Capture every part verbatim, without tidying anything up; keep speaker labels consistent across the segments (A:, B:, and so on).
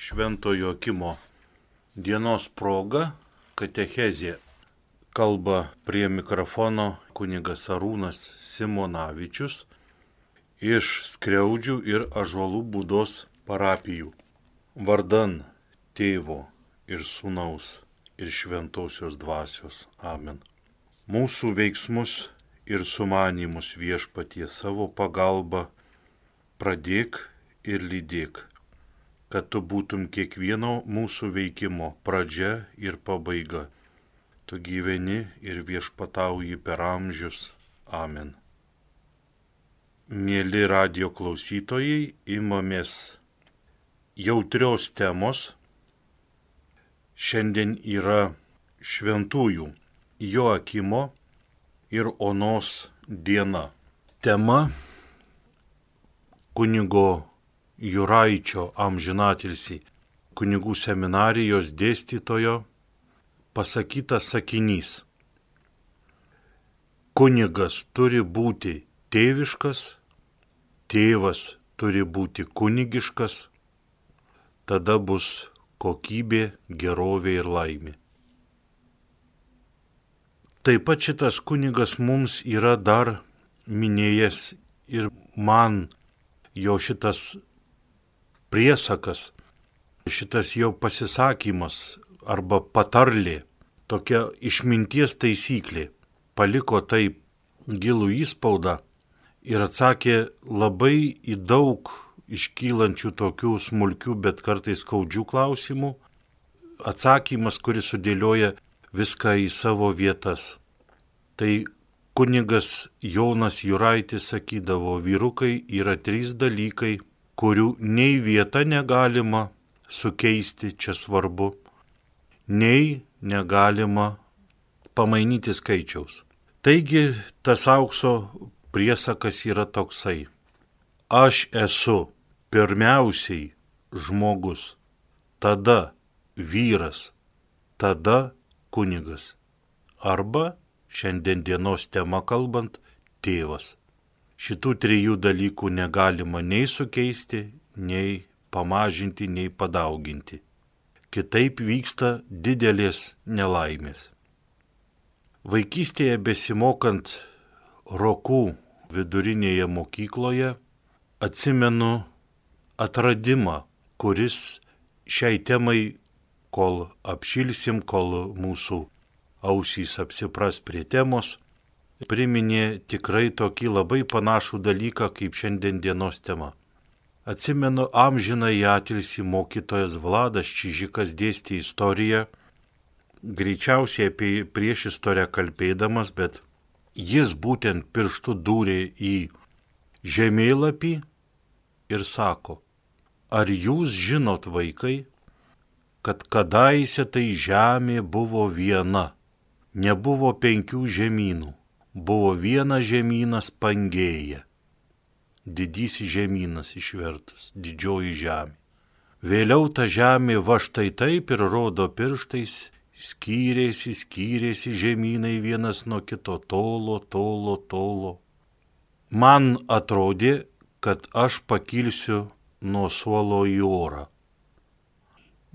A: Švento Joakimo dienos proga katechezė. Kalba prie mikrofono kunigas Arūnas Simonavičius iš Skriaudžių ir Ąžuolų Būdos parapijų. Vardan Tėvo ir Sūnaus ir Šventosios Dvasios. Amen. Mūsų veiksmus ir sumanymus Viešpatie savo pagalba pradėk ir lydėk, kad tu būtum kiekvieno mūsų veikimo pradžia ir pabaiga. Tu gyveni ir viešpatauji per amžius. Amen. Mėly radio klausytojai, imamės jautrios temos. Šiandien yra šventųjų Joakimo ir Onos diena. Tema kunigo Juraičio amžinatilsį kunigų seminarijos dėstytojo pasakytas sakinys. Kunigas turi būti tėviškas, tėvas turi būti kunigiškas, tada bus kokybė, gerovė ir laimė. Taip pat šitas kunigas mums yra dar minėjęs ir man jo šitas priesakas, šitas jo pasisakymas arba patarlė, tokia išminties taisyklė, paliko taip gilų įspaudą ir atsakė labai į daug iškylančių tokių smulkių, bet kartais skaudžių klausimų. Atsakymas, kuris sudėlioja viską į savo vietas. Tai kunigas Jonas Juraitis sakydavo, vyrukai yra trys dalykai, kurių nei vieta negalima sukeisti, čia svarbu, nei negalima pamainyti skaičiaus. Taigi tas aukso priesakas yra toksai. Aš esu pirmiausiai žmogus, tada vyras, tada kunigas. Arba šiandien dienos tema kalbant, tėvas. Šitų trijų dalykų negalima nei sukeisti, nei pamažinti, nei padauginti. Kitaip vyksta didelės nelaimės. Vaikystėje besimokant Rokų vidurinėje mokykloje atsimenu atradimą, kuris šiai temai, kol apšilsim, kol mūsų ausys apsipras prie temos, priminė tikrai tokį labai panašų dalyką kaip šiandien dienos tema. Atsimenu amžiną į atilsį mokytojas Vladas Čižikas dėstė istoriją, greičiausiai apie priešistorę kalbėdamas, bet jis būtent pirštu dūrė į žemėlapį ir sako, ar jūs žinot, vaikai, kad kadaise tai žemė buvo viena, nebuvo penkių žemynų. Buvo vienas žemynas Pangėja, didysis žemynas išvertus, didžioji žemė. Vėliau ta žemė va štai taip ir rodo pirštais, skyrėsi, skyrėsi žemynai vienas nuo kito, tolo, tolo, tolo. Man atrodė, kad aš pakilsiu nuo suolo į orą.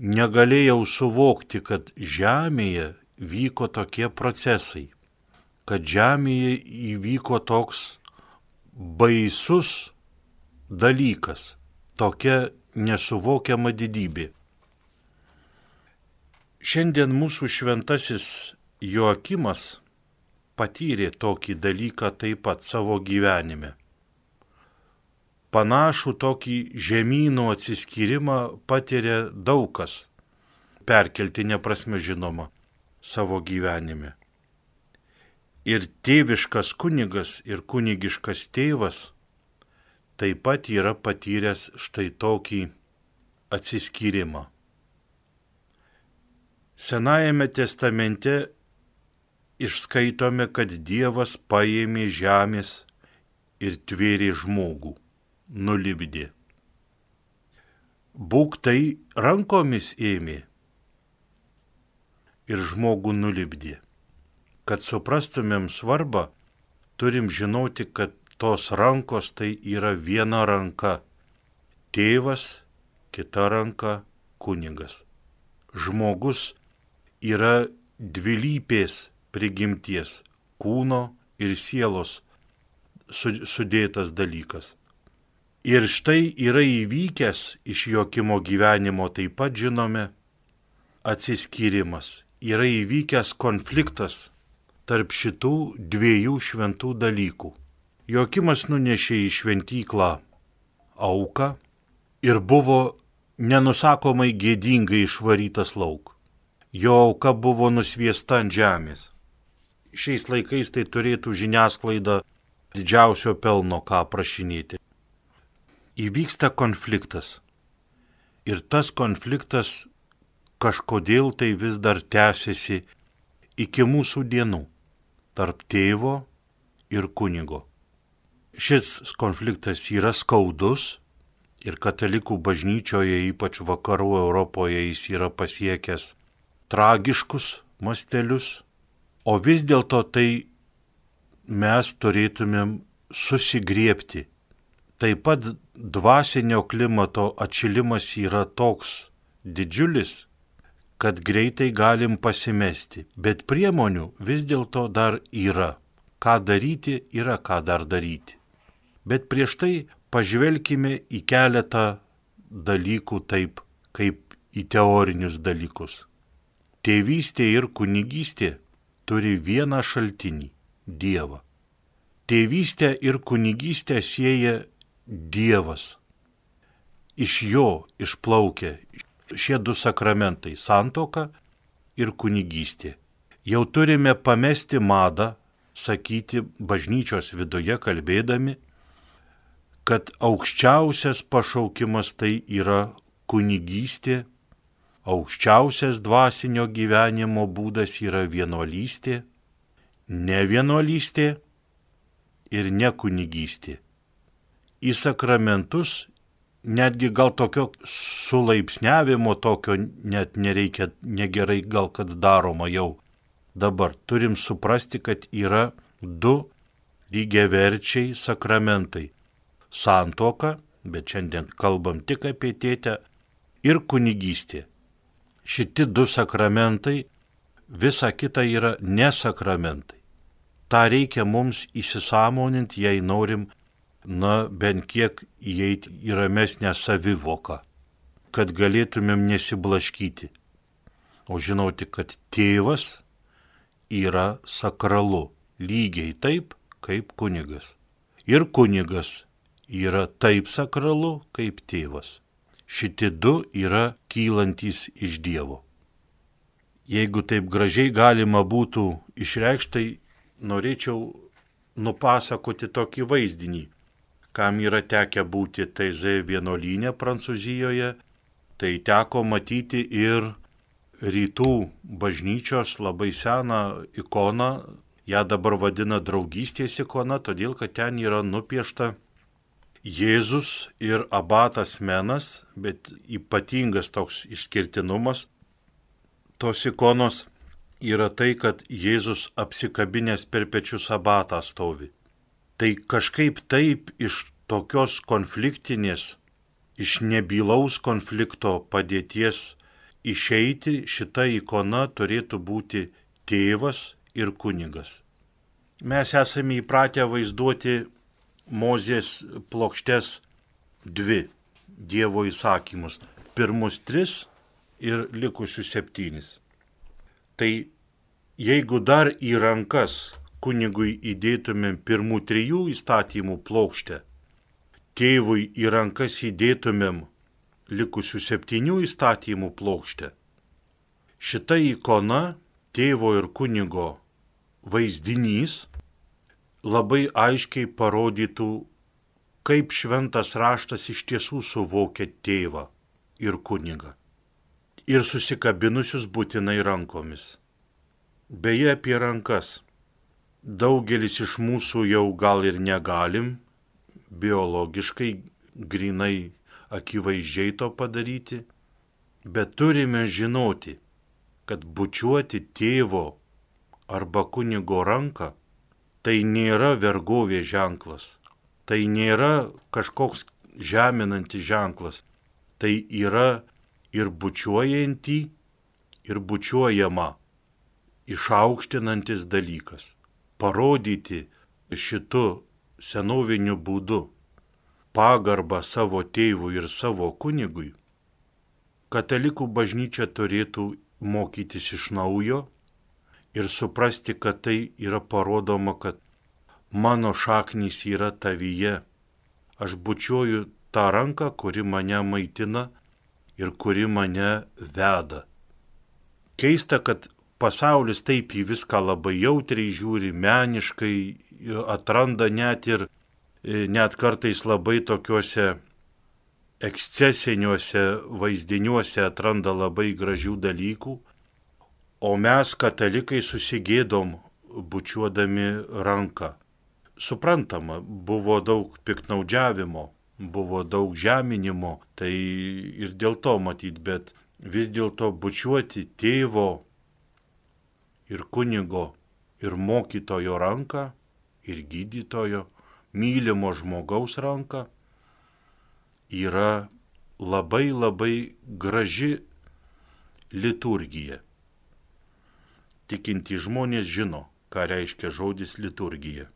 A: Negalėjau suvokti, kad žemėje vyko tokie procesai, kad žemėje įvyko toks baisus dalykas, tokia nesuvokiama didybė. Šiandien mūsų šventasis Joakimas patyrė tokį dalyką taip pat savo gyvenime. Panašų tokį žemynų atsiskyrimą patiria daug kas, perkeltinė prasme žinoma, savo gyvenime. Ir tėviškas kunigas ir kunigiškas tėvas taip pat yra patyręs štai tokį atsiskyrimą. Senajame testamente išskaitome, kad Dievas paėmė žemės ir tvėrė žmogų, nulipdė. Būk tai rankomis ėmė ir žmogų nulipdė. Kad suprastumėm svarbą, turim žinoti, kad tos rankos tai yra viena ranka. Tėvas, kita ranka, kunigas. Žmogus yra dvilypės prigimties, kūno ir sielos sudėtas dalykas. Ir štai yra įvykęs iš Joakimo gyvenimo, taip pat žinome, atsiskyrimas. Yra įvykęs konfliktas tarp šitų dviejų šventų dalykų. Joakimas nunešė į šventyklą auką ir buvo nenusakomai gėdingai išvarytas lauk. Jo auka buvo nusviesta ant žemės. Šiais laikais tai turėtų žiniasklaida didžiausio pelno ką prašinėti. Įvyksta konfliktas. Ir tas konfliktas kažkodėl tai vis dar tęsiasi iki mūsų dienų tarp tėvo ir kunigo. Šis konfliktas yra skaudus ir katalikų bažnyčioje, ypač vakarų Europoje, jis yra pasiekęs tragiškus mastelius, o vis dėlto tai mes turėtumėm susigriebti. Taip pat dvasinio klimato atšilimas yra toks didžiulis, kad greitai galim pasimesti, bet priemonių vis dėlto dar yra. Ką daryti, yra ką dar daryti. Bet prieš tai pažvelkime į keletą dalykų taip, kaip į teorinius dalykus. Tėvystė ir kunigystė turi vieną šaltinį – Dievą. Tėvystę ir kunigystę sieja Dievas. Iš jo išplaukia šie du sakramentai – santuoka ir kunigystė. Jau turime pamesti madą, sakyti bažnyčios viduje kalbėdami, kad aukščiausias pašaukimas tai yra kunigystė, aukščiausias dvasinio gyvenimo būdas yra vienuolystė, ne vienuolystė ir ne kunigystė. Į sakramentus netgi gal tokio sulaipsniavimo tokio net nereikia, negerai gal kad daroma jau. Dabar turim suprasti, kad yra du lygiaverčiai sakramentai. Santuoka, bet šiandien kalbam tik apie tėtę, ir kunigystė. Šiti du sakramentai, visa kita yra nesakramentai. Ta reikia mums įsisąmoninti, jei norim, na, bent kiek įeiti į ramesnę savivoką, kad galėtumėm nesiblaškyti. O žinoti, kad tėvas yra sakralu, lygiai taip, kaip kunigas. Ir kunigas yra taip sakralu, kaip tėvas. Šiti du yra kylantys iš Dievo. Jeigu taip gražiai galima būtų išreikštai, norėčiau nupasakoti tokį vaizdinį. Kam yra tekę būti Taizė vienuolyne Prancūzijoje, tai teko matyti ir rytų bažnyčios labai seną ikoną, ją dabar vadina draugystės ikona, todėl kad ten yra nupiešta Jėzus ir abatas Menas, bet ypatingas toks išskirtinumas tos ikonos yra tai, kad Jėzus apsikabinęs per pečius abatą stovi. Tai kažkaip taip iš tokios konfliktinės, iš nebylaus konflikto padėties išeiti, šita ikona turėtų būti tėvas ir kunigas. Mes esame įpratę vaizduoti Mozės plokštes dvi Dievo įsakymus, pirmus tris ir likusius septynis. Tai jeigu dar į rankas kunigui įdėtumėm pirmų trijų įstatymų plokštę, tėvui į rankas įdėtumėm likusių septynių įstatymų plokštę, šita ikona, tėvo ir kunigo vaizdinys, labai aiškiai parodytų, kaip šventas raštas iš tiesų suvokia tėvą ir kunigą. Ir susikabinusius būtinai rankomis. Beje, apie rankas. Daugelis iš mūsų jau gal ir negalim biologiškai, grinai akivaizdžiai to padaryti, bet turime žinoti, kad bučiuoti tėvo arba kunigo ranką tai nėra vergovės ženklas, tai nėra kažkoks žeminantis ženklas, tai yra ir bučiuojantį, ir bučiuojamą išaukštinantis dalykas. Parodyti šitu senoviniu būdu pagarbą savo tėvui ir savo kunigui, katalikų bažnyčia turėtų mokytis iš naujo ir suprasti, kad tai yra parodoma, kad mano šaknys yra tavyje. Aš bučiuoju tą ranką, kuri mane maitina ir kuri mane veda. Keista, kad pasaulis taip į viską labai jautriai žiūri, meniškai, atranda net ir net kartais labai tokiuose ekscesiniuose vaizdiniuose atranda labai gražių dalykų, o mes katalikai susigėdom bučiuodami ranką. Suprantama, buvo daug piktnaudžiavimo, buvo daug žeminimo, tai ir dėl to matyt, bet vis dėlto bučiuoti tėvo ir kunigo ir mokytojo ranką ir gydytojo, mylimo žmogaus ranką yra labai labai graži liturgija. Tikintys žmonės žino, ką reiškia žodis liturgija.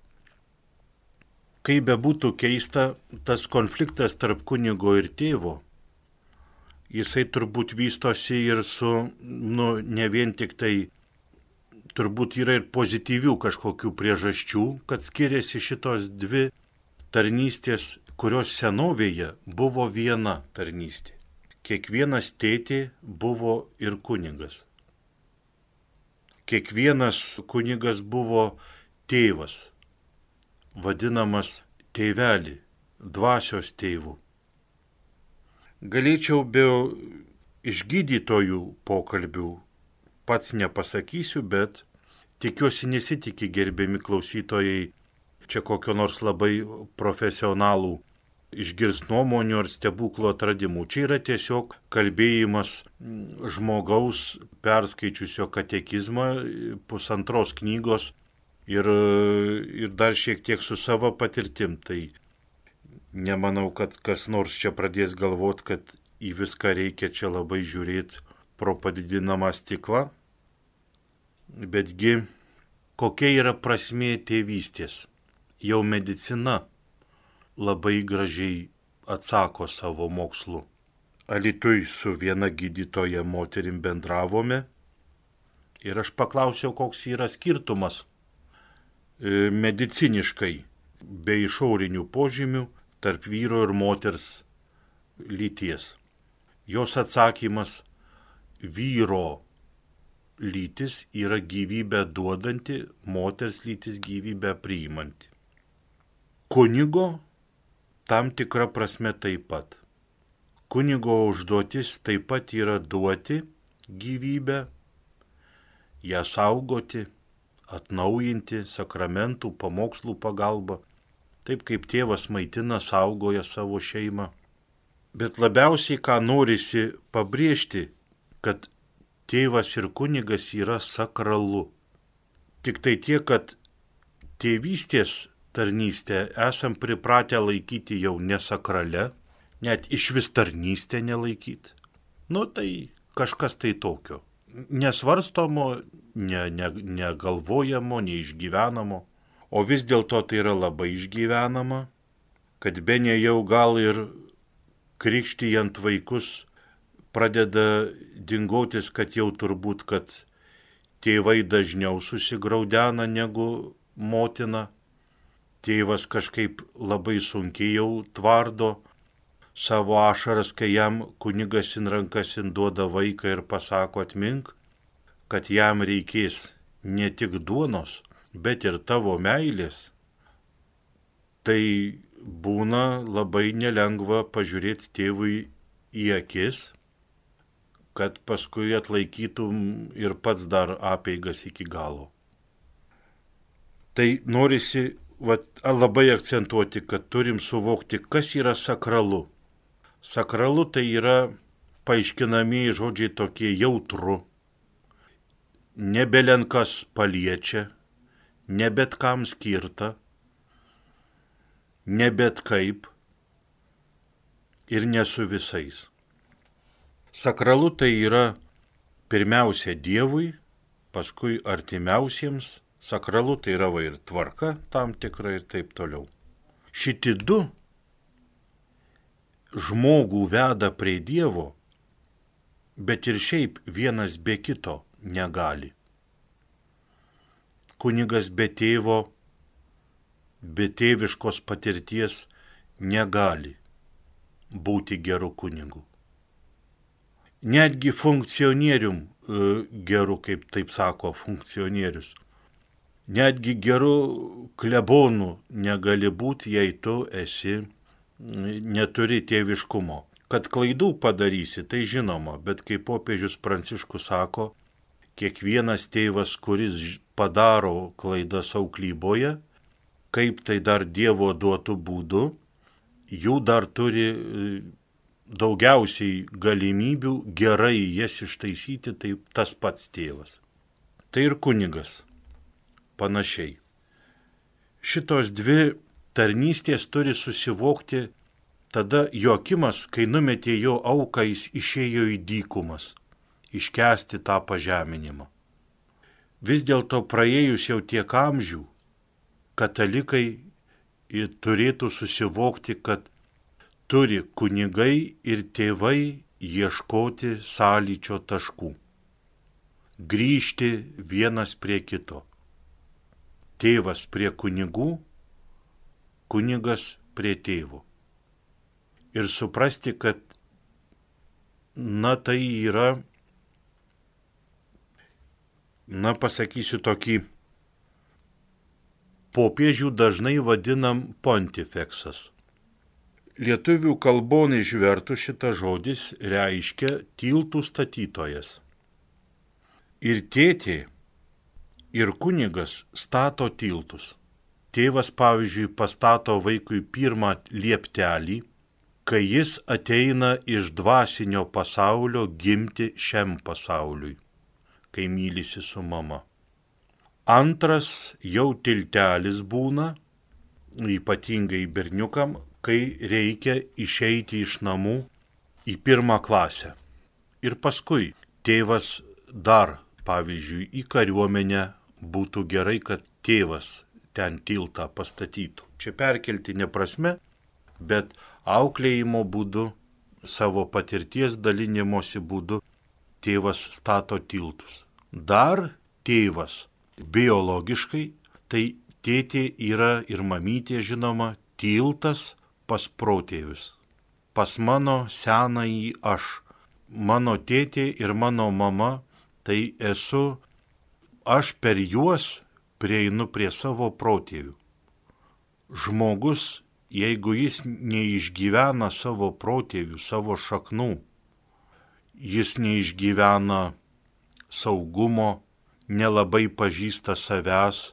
A: Kaip bebūtų keista, tas konfliktas tarp kunigo ir tėvo, jisai turbūt vystosi ir su, nu, ne vien tik tai, turbūt yra ir pozityvių kažkokių priežasčių, kad skiriasi šitos dvi tarnystės, kurios senovėje buvo viena tarnystė. Kiekvienas tėtė buvo ir kunigas. Kiekvienas kunigas buvo tėvas, vadinamas tėvelį, dvasios tėvų. Galėčiau be išgydytojų pokalbių pats nepasakysiu, bet tikiuosi nesitikė gerbiami klausytojai čia kokio nors labai profesionalų išgirs nuomonių ar stebuklų atradimų. Čia yra tiesiog kalbėjimas žmogaus perskaičiusio katekizmą, pusantros knygos ir, ir dar šiek tiek su savo patirtim. Tai nemanau, kad kas nors čia pradės galvot, kad į viską reikia čia labai žiūrėti pro padidinamą stiklą. Betgi kokia yra prasmė tėvystės? Jau medicina labai gražiai atsako savo mokslu. Alytuj su viena gydytoja moterim bendravome ir aš paklausiau, koks yra skirtumas mediciniškai be išorinių požymių tarp vyro ir moters lyties. Jos atsakymas: vyro lytis yra gyvybę duodanti, moters lytis gyvybę priimanti. Kunigo tam tikra prasme taip pat. Kunigo užduotis taip pat yra duoti gyvybę, ją saugoti, atnaujinti sakramentų, pamokslų pagalba, taip kaip tėvas maitina, saugoja savo šeimą. Bet labiausiai, ką norisi pabrėžti, kad tėvas ir kunigas yra sakralu. Tik tai tiek, kad tėvystės tarnystę esam pripratę laikyti jau nesakrale, net iš vis tarnystę nelaikyti. Nu tai kažkas tai tokio. Nesvarstomo, ne, ne, negalvojamo, neišgyvenamo. O vis dėlto tai yra labai išgyvenama, kad bene jau gal ir krikštijant vaikus pradeda dingotis, kad jau turbūt, kad tėvai dažniau susigraudena negu motina. Tėvas kažkaip labai sunkiai jau tvardo savo ašaras, kai jam kunigas in rankas duoda vaiką ir pasako: atmink, kad jam reikės ne tik duonos, bet ir tavo meilės. Tai būna labai nelengva pažiūrėti tėvui į akis, kad paskui atlaikytum ir pats dar apeigas iki galo. Tai norisi vat, labai akcentuoti, kad turim suvokti, kas yra sakralu. Sakralu tai yra paaiškinamieji žodžiai tokie: jautru, nebelenkas paliečia, ne bet kam skirta, ne bet kaip ir ne su visais. Sakralu tai yra pirmiausia Dievui, paskui artimiausiems. Sakralu tai yra va ir tvarka tam tikra ir taip toliau. Šiti du žmogų veda prie Dievo, bet ir šiaip vienas be kito negali. Kunigas be tėvo, be tėviškos patirties negali būti geru kunigu. Netgi funkcionierium geru, kaip taip sako funkcionierius, netgi geru klebonu negali būti, jei tu esi, neturi tėviškumo. Kad klaidų padarysi, tai žinoma, bet kaip popiežius Pranciškus sako, kiekvienas tėvas, kuris padaro klaidas auklyboje, kaip tai dar Dievo duotų būdu, jų dar turi daugiausiai galimybių gerai jas ištaisyti, tai tas pats tėvas. Tai ir kunigas panašiai. Šitos dvi tarnystės turi susivokti tada Joakimas, kai numetė jo auką, jis išėjo į dykumas, iškęsti tą pažeminimą. Vis dėlto praėjus jau tiek amžių, katalikai turėtų susivokti, kad turi kunigai ir tėvai ieškoti sąlyčio taškų, grįžti vienas prie kito. Tėvas prie kunigų, kunigas prie tėvų. Ir suprasti, kad na tai yra, na pasakysiu tokį, popiežių dažnai vadinam pontifeksas. Lietuvių kalbon išvertus šitas žodis reiškia tiltų statytojas. Ir tėtė, ir kunigas stato tiltus. Tėvas, pavyzdžiui, pastato vaikui pirmą lieptelį, kai jis ateina iš dvasinio pasaulio gimti šiam pasauliui, kai mylisi su mama. Antras jau tiltelis būna, ypatingai berniukam, kai reikia išeiti iš namų į pirmą klasę. Ir paskui tėvas dar, pavyzdžiui, į kariuomenę būtų gerai, kad tėvas ten tiltą pastatytų. Čia perkeltinė prasme, bet auklėjimo būdu, savo patirties dalinimosi būdu tėvas stato tiltus. Dar tėvas biologiškai, tai tėtė yra ir mamytė, žinoma, tiltas pas protėvius, pas mano senąjį aš. Mano tėtė ir mano mama, tai esu, aš per juos prieinu prie savo protėvių. Žmogus, jeigu jis neišgyvena savo protėvių, savo šaknų, jis neišgyvena saugumo, nelabai pažįsta savęs,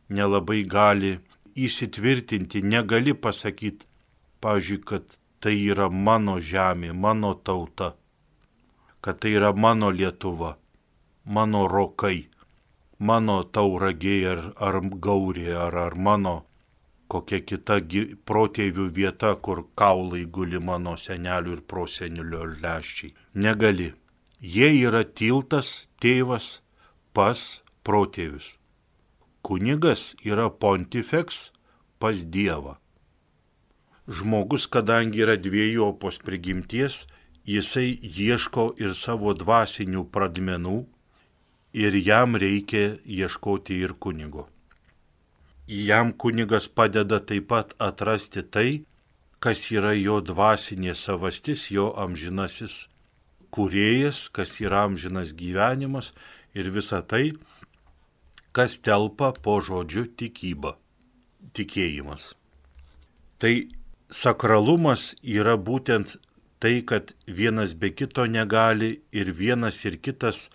A: nelabai gali įsitvirtinti, negali pasakyti, pavyzdžiui, kad tai yra mano žemė, mano tauta, kad tai yra mano Lietuva, mano rokai, mano tauragė ar, ar gaurė, ar, ar mano kokia kita protėvių vieta, kur kaulai guli mano senelių ir prosenelio leščiai. Negali. Jie yra tiltas, tėvas pas protėvius. Kunigas yra pontifeks pas Dievą. Žmogus, kadangi yra dviejopos prigimties, jisai ieško ir savo dvasinių pradmenų ir jam reikia ieškoti ir kunigo. Jam kunigas padeda taip pat atrasti tai, kas yra jo dvasinė savastis, jo amžinasis kūrėjas, kas yra amžinas gyvenimas ir visa tai, kas telpa po žodžiu tikyba, tikėjimas. Tai sakralumas yra būtent tai, kad vienas be kito negali ir vienas ir kitas,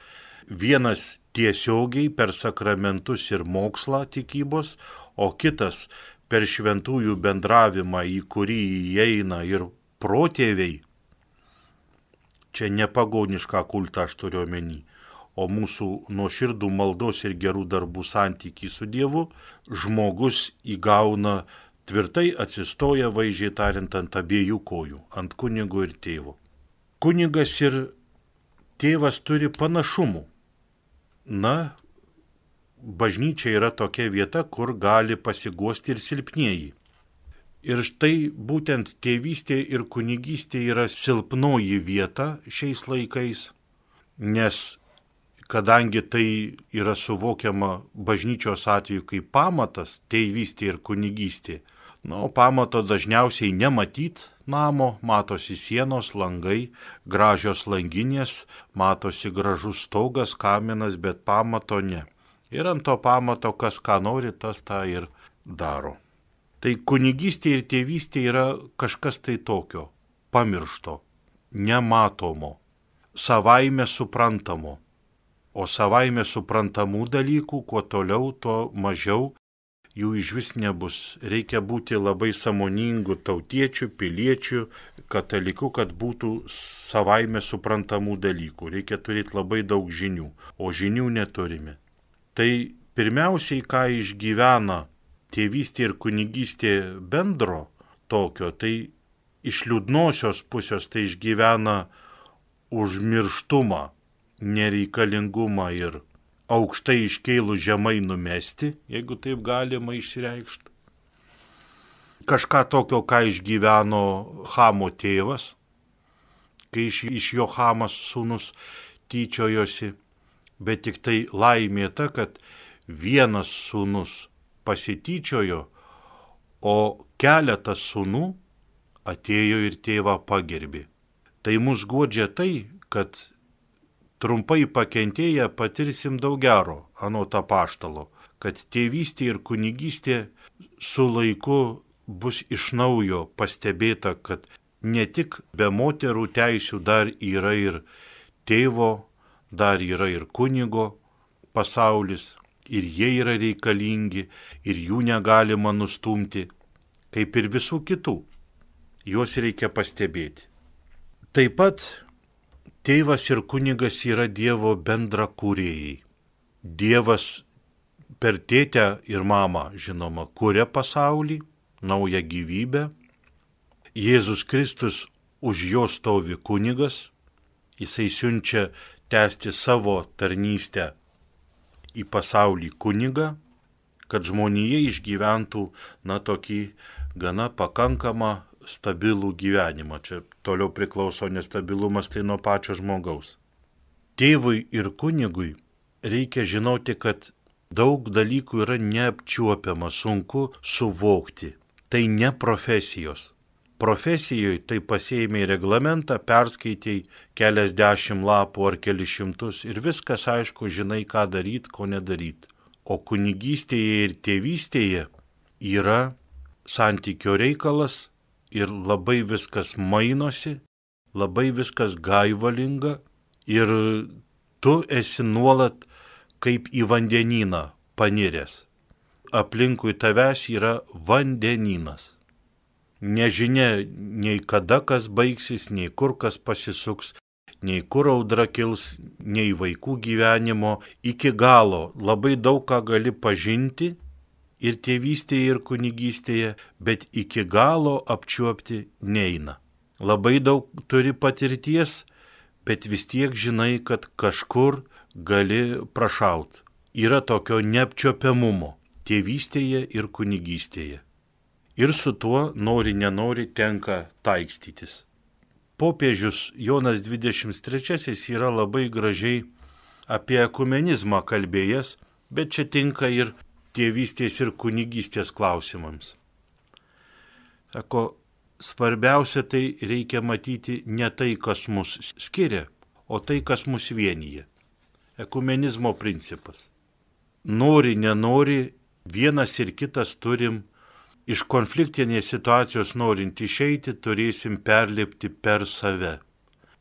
A: vienas tiesiogiai per sakramentus ir mokslą tikybos, o kitas per šventųjų bendravimą, į kurį įeina ir protėviai. Čia ne pagonišką kultą aš turiu omeny, o mūsų nuoširdų maldos ir gerų darbų santykį su Dievu, žmogus įgauna tvirtai atsistoja, vaizdžiai tariant, ant abiejų kojų, ant kunigo ir tėvo. Kunigas ir tėvas turi panašumų. Na, bažnyčia yra tokia vieta, kur gali pasiguosti ir silpnieji. Ir štai būtent tėvystė ir kunigystė yra silpnoji vieta šiais laikais, nes kadangi tai yra suvokiama bažnyčios atveju kaip pamatas, tėvystė ir kunigystė, na, o pamato dažniausiai nematyt namo, matosi sienos, langai, gražios langinės, matosi gražus stogas, kaminas, bet pamato ne. Ir ant to pamato, kas ką nori, tas tą ir daro. Tai kunigystė ir tėvystė yra kažkas tai tokio, pamiršto, nematomo, savaime suprantamo. O savaime suprantamų dalykų, kuo toliau, tuo mažiau jų iš vis nebus. Reikia būti labai sąmoningų tautiečių, piliečių, katalikų, kad būtų savaime suprantamų dalykų. Reikia turėti labai daug žinių, o žinių neturime. Tai pirmiausiai, ką išgyvena tėvystė ir kunigystė bendro tokio, tai iš liūdnosios pusės tai išgyvena užmirštumą, nereikalingumą ir aukštai iškėlų žemai numesti, jeigu taip galima išreikšti. Kažką tokio, ką išgyveno Chamo tėvas, kai iš, iš jo Chamas sūnus tyčiojosi, bet tik tai laimė ta, kad vienas sūnus pasityčiojo, o keletas sūnų atėjo ir tėvą pagerbė. Tai mus guodžia tai, kad trumpai pakentėję patirsim daug gero, anot apaštalo, kad tėvystė ir kunigystė su laiku bus iš naujo pastebėta, kad ne tik be moterų teisių dar yra ir tėvo, dar yra ir kunigo pasaulis, ir jie yra reikalingi, ir jų negalima nustumti, kaip ir visų kitų. Juos reikia pastebėti. Taip pat tėvas ir kunigas yra Dievo bendra kūrėjai. Dievas per tėtę ir mamą, žinoma, kuria pasaulį, naują gyvybę. Jėzus Kristus už jo stovi kunigas, jisai siunčia tęsti savo tarnystę į pasaulį kunigą, kad žmonija išgyventų, na, tokį gana pakankamą stabilų gyvenimą. Čia toliau priklauso nestabilumas, tai nuo pačio žmogaus. Tėvui ir kunigui reikia žinoti, kad daug dalykų yra neapčiuopiama, sunku suvokti. Tai ne profesijos. Profesijoje tai pasiėmė reglamentą, perskaitėjai keliasdešimt lapų ar kelius šimtus ir viskas aišku, žinai, ką daryti, ko nedaryti. O kunigystėje ir tėvystėje yra santykio reikalas ir labai viskas mainosi, labai viskas gaivalinga ir tu esi nuolat kaip į vandenyną paniręs. Aplinkui tavęs yra vandenynas. Nežinia nei kada kas baigsis, nei kur kas pasisuks, nei kur audra kils, nei vaikų gyvenimo. Iki galo labai daug ką gali pažinti ir tėvystėje, ir kunigystėje, bet iki galo apčiuopti neina. Labai daug turi patirties, bet vis tiek žinai, kad kažkur gali prašaut. Yra tokio neapčiuopiamumo tėvystėje ir kunigystėje. Ir su tuo, nori nenori, tenka taikstytis. Popiežius Jonas dvidešimt trečiasis yra labai gražiai apie ekumenizmą kalbėjęs, bet čia tinka ir tėvystės ir kunigystės klausimams. Sako, svarbiausia tai reikia matyti ne tai, kas mus skiria, o tai, kas mus vienyje. Ekumenizmo principas. Nori, nenori, vienas ir kitas turim iš konfliktinės situacijos norint išeiti, turėsim perlipti per save.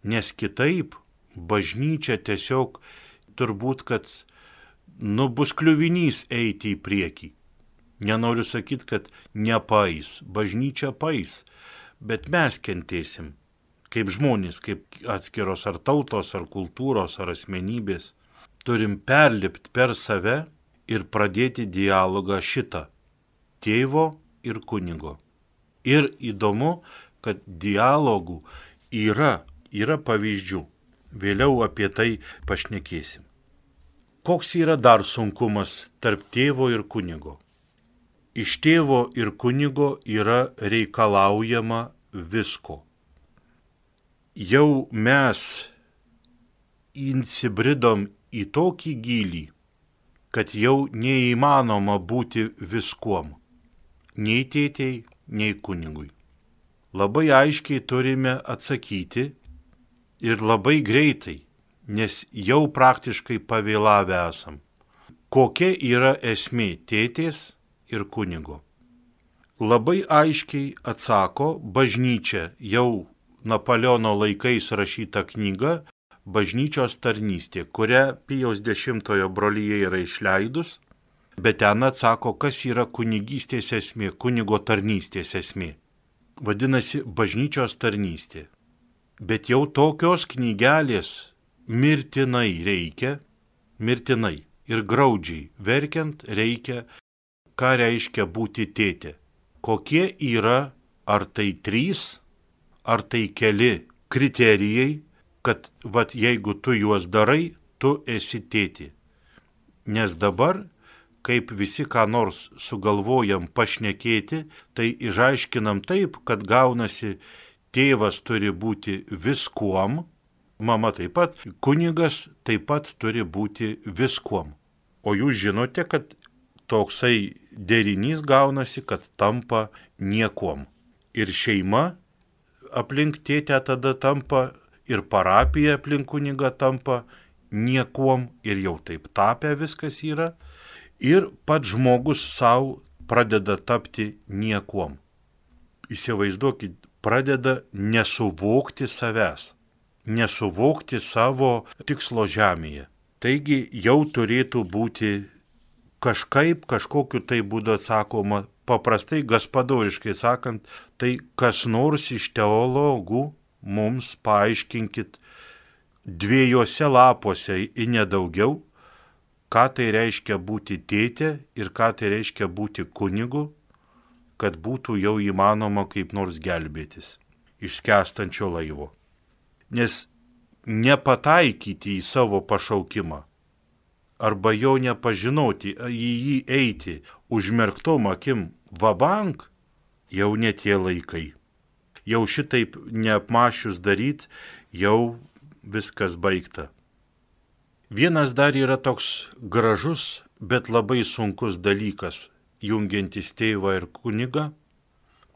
A: Nes kitaip bažnyčia tiesiog turbūt, kad nu, bus kliuvinys eiti į priekį. Nenoriu sakyti, kad nepais, bažnyčia pais, bet mes kentėsim. Kaip žmonės, kaip atskiros ar tautos, ar kultūros, ar asmenybės. Turim perlipti per save ir pradėti dialogą šitą. Tėvo ir kunigo. Ir įdomu, kad dialogų yra, yra pavyzdžių. Vėliau apie tai pašnekėsim. Koks yra dar sunkumas tarp tėvo ir kunigo? Iš tėvo ir kunigo yra reikalaujama visko. Jau mes įsibridom į tokį gylį, kad jau neįmanoma būti viskuom. Nei tėtei, nei kunigui. Labai aiškiai turime atsakyti ir labai greitai, nes jau praktiškai pavėlavę esam. Kokia yra esmė tėtės ir kunigo? Labai aiškiai atsako bažnyčia, jau Napoleono laikais rašyta knyga Bažnyčios tarnystė, kurią Pijaus dešimtojo brolyje yra išleidus, bet ten atsako, kas yra kunigystės esmė, kunigo tarnystės esmė. Vadinasi, bažnyčios tarnystė. Bet jau tokios knygelės mirtinai reikia, mirtinai ir graudžiai verkiant reikia, ką reiškia būti tėtė. Kokie yra, ar tai trys, ar tai keli kriterijai, kad vat jeigu tu juos darai, tu esi tėtė. Nes dabar, kaip visi ką nors sugalvojam pašnekėti, tai išaiškinam taip, kad gaunasi tėvas turi būti viskuom, mama taip pat, kunigas taip pat turi būti viskuom. O jūs žinote, kad toksai derinys gaunasi, kad tampa niekuom. Ir šeima aplink tėtę tada tampa, ir parapija aplink kunigą tampa niekuom, ir jau taip tapę viskas yra, ir pats žmogus savo pradeda tapti niekuom. Įsivaizduokit, pradeda nesuvokti savęs, nesuvokti savo tikslo žemėje. Taigi jau turėtų būti kažkaip, kažkokiu tai būdu atsakoma, paprastai gaspadoriškai sakant, tai kas nors iš teologų mums paaiškinkit dviejose lapuose į nedaugiau, ką tai reiškia būti tėtė ir ką tai reiškia būti kunigu, kad būtų jau įmanoma kaip nors gelbėtis iš skęstančio laivo. Nes nepataikyti į savo pašaukimą, arba jo nepažinoti, į jį eiti užmerktom akim vabank, jau ne tie laikai. Jau šitaip neapmašius daryt, jau viskas baigta. Vienas dar yra toks gražus, bet labai sunkus dalykas, jungiantis tėvą ir kunigą,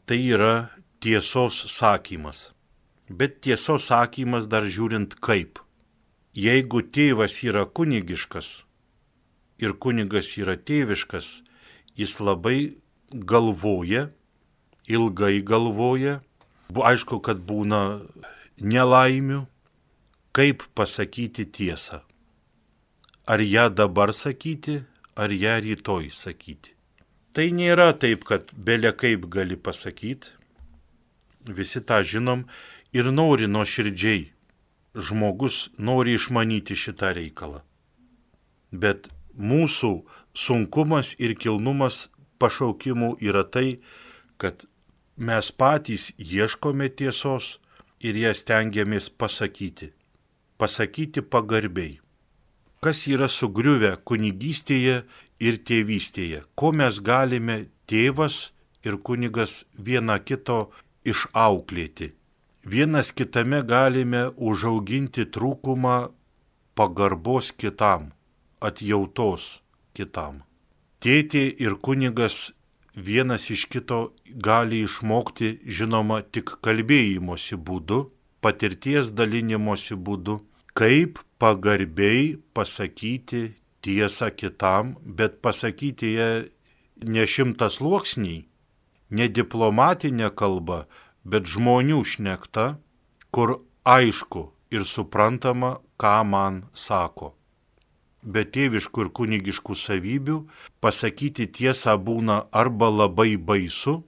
A: tai yra tiesos sakymas. Bet tiesos sakymas dar žiūrint kaip. Jeigu tėvas yra kunigiškas ir kunigas yra tėviškas, jis labai galvoja, ilgai galvoja, aišku, kad būna nelaimių, kaip pasakyti tiesą. Ar ją dabar sakyti, ar ją rytoj sakyti. Tai nėra taip, kad bele kaip gali pasakyti. Visi tą žinom ir nori nuoširdžiai. Žmogus nori išmanyti šitą reikalą. Bet mūsų sunkumas ir kilnumas pašaukimų yra tai, kad mes patys ieškome tiesos ir ją stengiamės pasakyti. Pasakyti pagarbiai. Kas yra sugriuvę kunigystėje ir tėvystėje? Ko mes galime tėvas ir kunigas viena kito išauklėti? Vienas kitame galime užauginti trūkumą pagarbos kitam, atjautos kitam. Tėtė ir kunigas vienas iš kito gali išmokti, žinoma, tik kalbėjimosi būdu, patirties dalinimosi būdu, kaip pagarbiai pasakyti tiesą kitam, bet pasakyti ją ne šimtasluoksniai, ne diplomatinė kalba, bet žmonių šnekta, kur aišku ir suprantama, ką man sako. Be tėviškų ir kunigiškų savybių pasakyti tiesą būna arba labai baisu,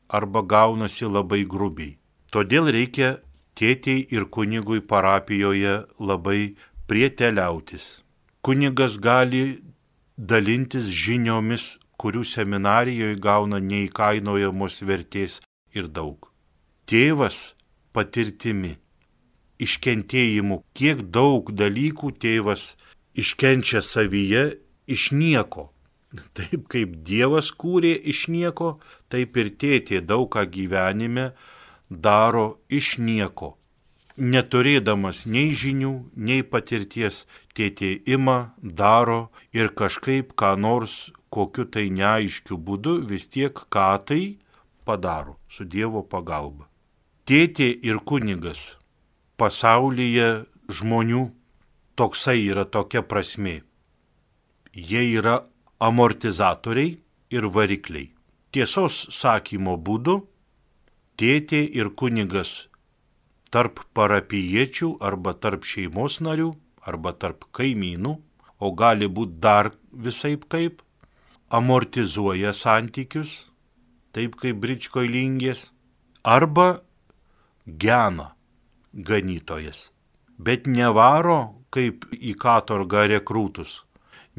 A: arba gaunasi labai grubiai. Todėl reikia tėtei ir kunigui parapijoje labai prieteliautis. Kunigas gali dalintis žiniomis, kurių seminarijoje gauna neįkainojamos vertės ir daug. Tėvas patirtimi. iškentėjimu, kiek daug dalykų tėvas iškenčia savyje iš nieko. Taip kaip Dievas kūrė iš nieko, taip ir tėtė daug ką gyvenime daro iš nieko. Neturėdamas nei žinių, nei patirties, tėtė ima, daro ir kažkaip ką nors kokiu tai neaiškiu būdu vis tiek ką tai padaro su Dievo pagalba. Tėtė ir kunigas pasaulyje žmonių toksai yra tokia prasmė. Jie yra amortizatoriai ir varikliai. Tiesos sakymo būdu tėtė ir kunigas tarp parapijiečių arba tarp šeimos narių arba tarp kaimynų, o gali būti dar visaip kaip, amortizuoja santykius, taip kaip Bričkoj Lingės, arba gena ganytojas, bet nevaro kaip į katorgą rekrūtus,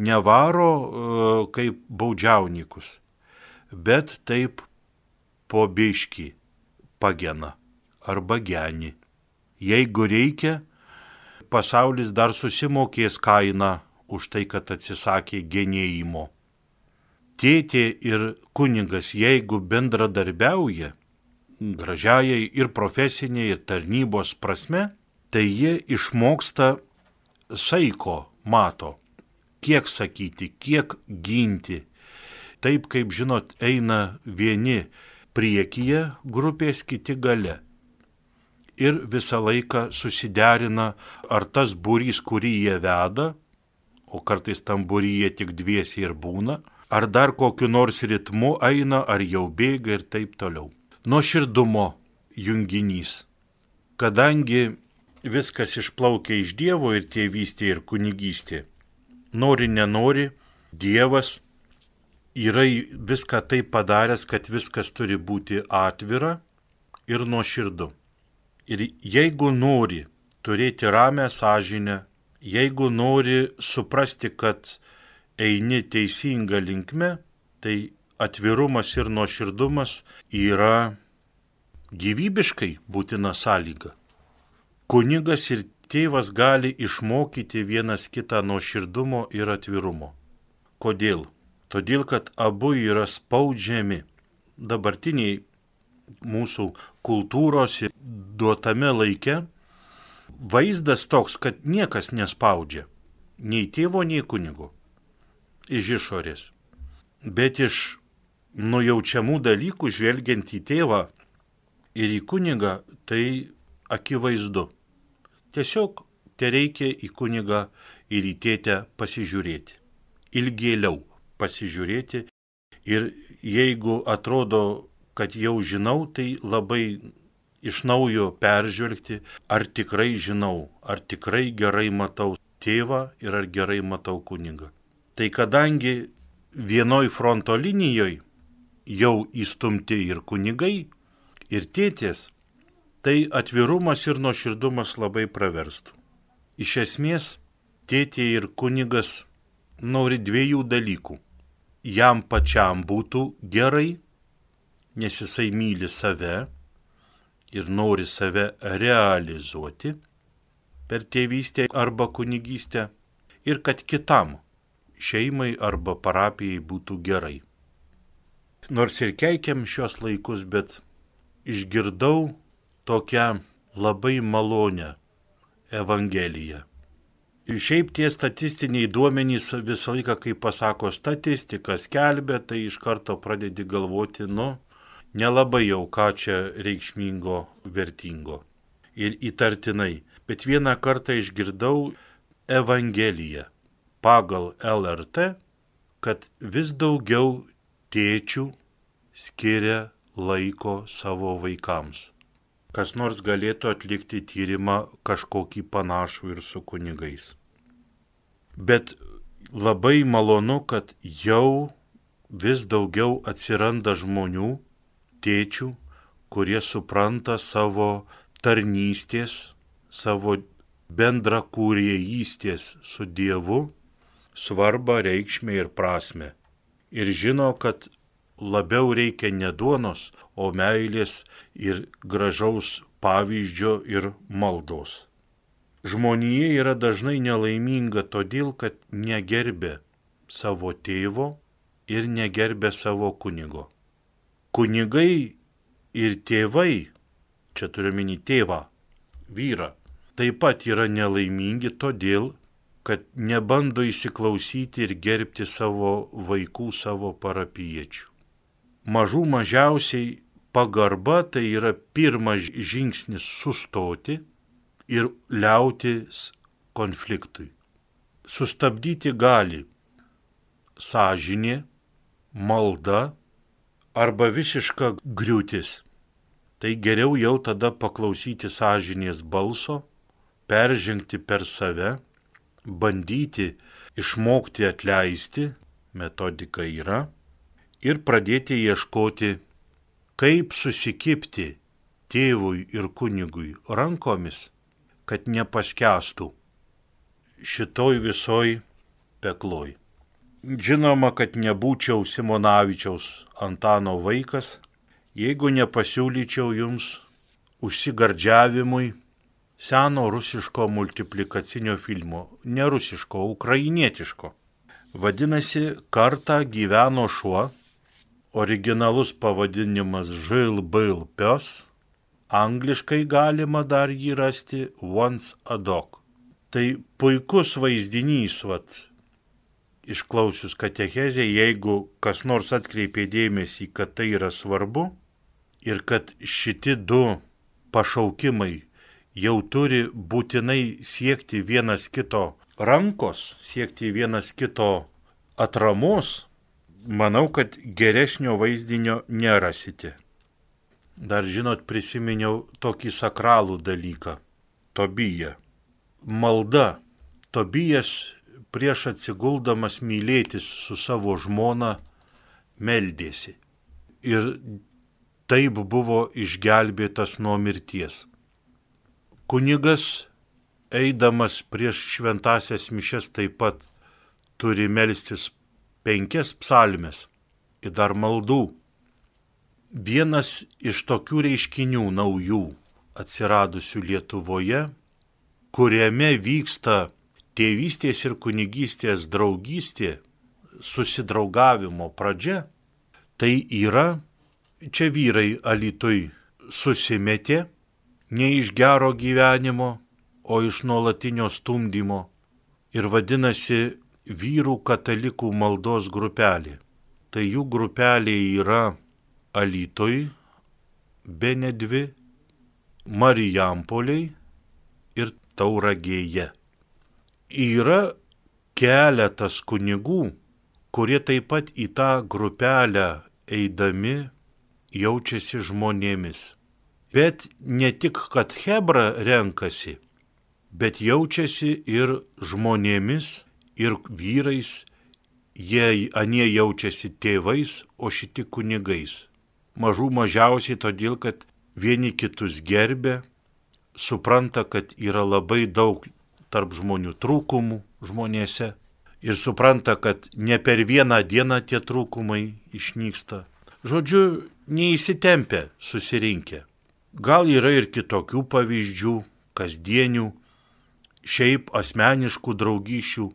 A: nevaro uh, kaip baudžiaunikus, bet taip po biškį pagena arba geni. Jeigu reikia, pasaulis dar susimokės kainą už tai, kad atsisakė genėjimo. Tėtė ir kunigas, jeigu bendradarbiauja, gražiajai ir profesiniai, ir tarnybos prasme, tai jie išmoksta saiko mato, kiek sakyti, kiek ginti. Taip, kaip žinot, eina vieni priekyje grupės, kiti gale. Ir visą laiką susiderina, ar tas būrys, kurį jie veda, o kartais tam būryje tik dviesi ir būna, ar dar kokiu nors ritmu eina, ar jau bėga ir taip toliau. Nuoširdumo junginys. Kadangi viskas išplaukia iš Dievo ir tėvystė ir kunigystė, nori nenori, Dievas yra viską taip padaręs, kad viskas turi būti atvira ir nuoširdu. Ir jeigu nori turėti ramę sąžinę, jeigu nori suprasti, kad eini teisinga linkme, tai atvirumas ir nuoširdumas yra gyvybiškai būtina sąlyga. Kunigas ir tėvas gali išmokyti vienas kitą nuoširdumo ir atvirumo. Kodėl? Todėl, kad abu yra spaudžiami. Dabartiniai mūsų kultūros duotame laike vaizdas toks, kad niekas nespaudžia. Nei tėvo, nei kunigo. Iš išorės. Bet iš nujaučiamų dalykų žvelgiant į tėvą ir į kunigą, tai akivaizdu. Tiesiog tereikia į kunigą ir į tėtę pasižiūrėti. Ilgėliau pasižiūrėti. Ir jeigu atrodo, kad jau žinau, tai labai iš naujo peržvelgti, ar tikrai žinau, ar tikrai gerai matau tėvą ir ar gerai matau kunigą. Tai kadangi vienoj fronto linijoje jau įstumti ir kunigai, ir tėtės, tai atvirumas ir nuoširdumas labai praverstų. Iš esmės, tėtė ir kunigas nori dviejų dalykų. Jam pačiam būtų gerai, nes jisai myli save ir nori save realizuoti per tėvystę arba kunigystę, ir kad kitam, šeimai arba parapijai būtų gerai. Nors ir keikiam šios laikus, bet išgirdau tokią labai malonę evangeliją. Šiaip tie statistiniai duomenys visą laiką, kai pasako statistika skelbia, tai iš karto pradedi galvoti, nu, nelabai jau ką čia reikšmingo, vertingo ir įtartinai. Bet vieną kartą išgirdau evangeliją pagal L R T, kad vis daugiau tėčių skiria laiko savo vaikams. Kas nors galėtų atlikti tyrimą kažkokį panašų ir su kunigais. Bet labai malonu, kad jau vis daugiau atsiranda žmonių, tėčių, kurie supranta savo tarnystės, savo bendrakūrėjystės su Dievu svarbą, reikšmę ir prasmę. Ir žino, kad labiau reikia ne duonos, o meilės ir gražaus pavyzdžio ir maldos. Žmonija yra dažnai nelaiminga todėl, kad negerbė savo tėvo ir negerbė savo kunigo. Kunigai ir tėvai, čia turiu minį tėvą, vyrą, taip pat yra nelaimingi todėl, kad nebando įsiklausyti ir gerbti savo vaikų, savo parapijiečių. Mažų mažiausiai pagarba tai yra pirmas žingsnis sustoti ir liautis konfliktui. Sustabdyti gali sąžinė, malda arba visiška griūtis. Tai geriau jau tada paklausyti sąžinės balso, peržengti per save, bandyti išmokti atleisti, metodika yra, ir pradėti ieškoti, kaip susikibti tėvui ir kunigui rankomis, kad nepaskęstų šitoj visoj pekloj. Žinoma, kad nebūčiau Simonavičiaus Antano vaikas, jeigu nepasiūlyčiau jums užsigardžiavimui seno rusiško multiplikacinio filmo, ne rusiško, ukrainietiško. Vadinasi, kartą gyveno šuo, originalus pavadinimas Žil Bil Pios, angliškai galima dar jį rasti Once a Dog. Tai puikus vaizdinys, vat, išklausius katechezę, jeigu kas nors atkreipė dėmesį, kad tai yra svarbu ir kad šiti du pašaukimai jau turi būtinai siekti vienas kito rankos, siekti vienas kito atramos, manau, kad geresnio vaizdinio nerasite. Dar žinot, prisiminiau tokį sakralų dalyką – Tobiją. Malda. Tobijas prieš atsiguldamas mylėtis su savo žmona meldėsi. Ir taip buvo išgelbėtas nuo mirties. Kunigas, eidamas prieš šventąsias mišias, taip pat turi melstis penkias psalmes ir dar maldų. Vienas iš tokių reiškinių naujų atsiradusių Lietuvoje, kuriame vyksta tėvystės ir kunigystės draugystė, susidraugavimo pradžia, tai yra, čia vyrai Alytuj susimetė ne iš gero gyvenimo, o iš nuolatinio stumdymo ir vadinasi vyrų katalikų maldos grupelė. Tai jų grupelė yra Alytuj, bene dvi, Marijampoliai ir Tauragėje. Yra keletas kunigų, kurie taip pat į tą grupelę eidami jaučiasi žmonėmis. Bet ne tik, kad chebra renkasi, bet jaučiasi ir žmonėmis, ir vyrais, jie anie jaučiasi tėvais, o šiti kunigais. Mažų mažiausiai todėl, kad vieni kitus gerbė, supranta, kad yra labai daug tarp žmonių trūkumų žmonėse ir supranta, kad ne per vieną dieną tie trūkumai išnyksta. Žodžiu, neįsitempę susirinkę. Gal yra ir kitokių pavyzdžių, kasdienių, šiaip asmeniškų draugysčių.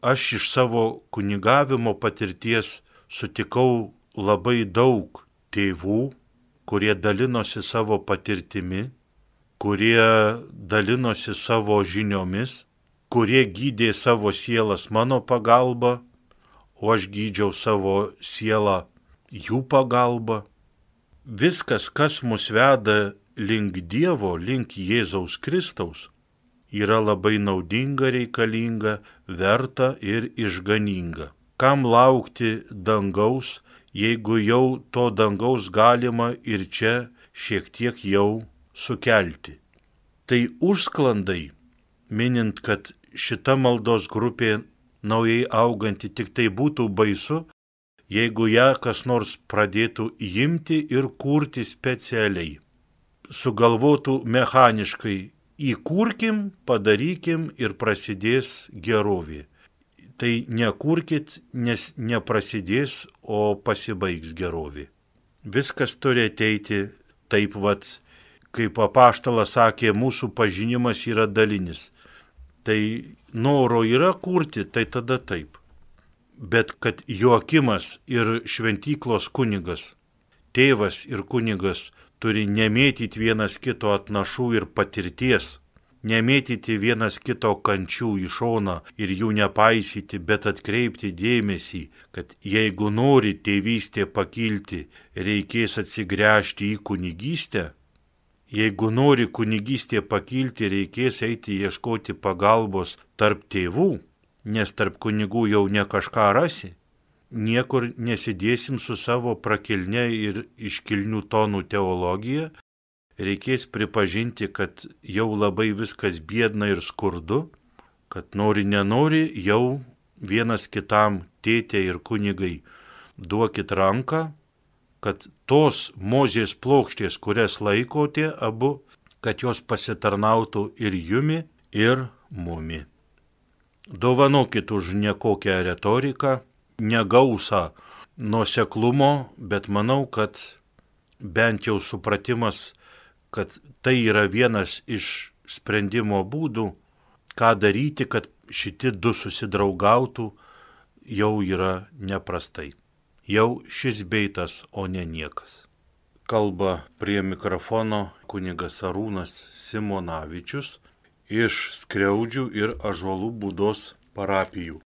A: Aš iš savo kunigavimo patirties sutikau labai daug tėvų, kurie dalinosi savo patirtimi, kurie dalinosi savo žiniomis, kurie gydė savo sielas mano pagalba, o aš gydžiau savo sielą jų pagalba. Viskas, kas mus veda link Dievo, link Jėzaus Kristaus, yra labai naudinga, reikalinga, verta ir išganinga. Kam laukti dangaus, jeigu jau to dangaus galima ir čia šiek tiek jau sukelti. Tai užsklandai, minint, kad šita maldos grupė naujai auganti, tik tai būtų baisu, jeigu ją kas nors pradėtų imti ir kurti specialiai. Sugalvotų mechaniškai, įkurkim, padarykim ir prasidės gerovė. Tai nekurkit, nes neprasidės, o pasibaigs gerovė. Viskas turi ateiti taip vat, kaip apaštalas sakė, mūsų pažinimas yra dalinis. Tai noro yra kurti, tai tada taip. Bet kad Joakimas ir šventyklos kunigas, tėvas ir kunigas turi nemėtyti vienas kito atnašų ir patirties, nemėtyti vienas kito kančių į šoną ir jų nepaisyti, bet atkreipti dėmesį, kad jeigu nori tėvystė pakilti, reikės atsigręžti į kunigystę. Jeigu nori kunigystė pakilti, reikės eiti ieškoti pagalbos tarp tėvų, nes tarp kunigų jau ne kažką rasi. Niekur nesidėsim su savo prakilne ir iškilnių tonų teologija. Reikės pripažinti, kad jau labai viskas biedna ir skurdu, kad nori nenori jau vienas kitam tėtė ir kunigai duokit ranką, kad tos Mozės plokštės, kurias laikote abu, kad jos pasitarnautų ir jumi, ir mumi. Dovanokit už nekokią retoriką, negausą nuoseklumo, bet manau, kad bent jau supratimas, kad tai yra vienas iš sprendimo būdų, ką daryti, kad šitie du susidraugautų, jau yra neprastai. Jau šis beitas, o ne niekas. Kalba prie mikrofono kunigas Arūnas Simonavičius iš Skriaudžių ir Ąžuolų Būdos parapijų.